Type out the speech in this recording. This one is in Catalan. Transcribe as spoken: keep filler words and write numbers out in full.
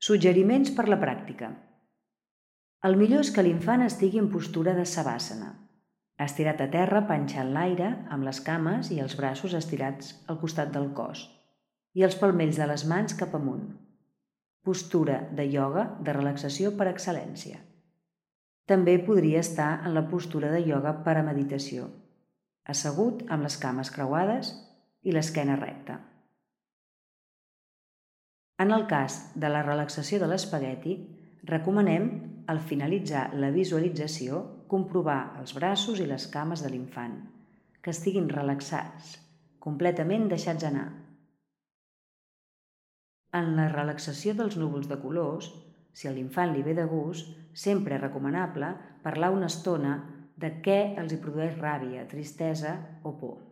Suggeriments per la pràctica. El millor és que l'infant estigui en postura de savàsana, estirat a terra panxa en l'aire amb les cames i els braços estirats al costat del cos i els palmells de les mans cap amunt. Postura de ioga de relaxació per excel·lència. També podria estar en la postura de ioga per a meditació, assegut amb les cames creuades i l'esquena recta. En el cas de la relaxació de l'espagueti, recomanem, al finalitzar la visualització, comprovar els braços i les cames de l'infant, que estiguin relaxats, completament deixats anar. En la relaxació dels núvols de colors, si a l'infant li ve de gust, sempre és recomanable parlar una estona de què els hi produeix ràbia, tristesa o por.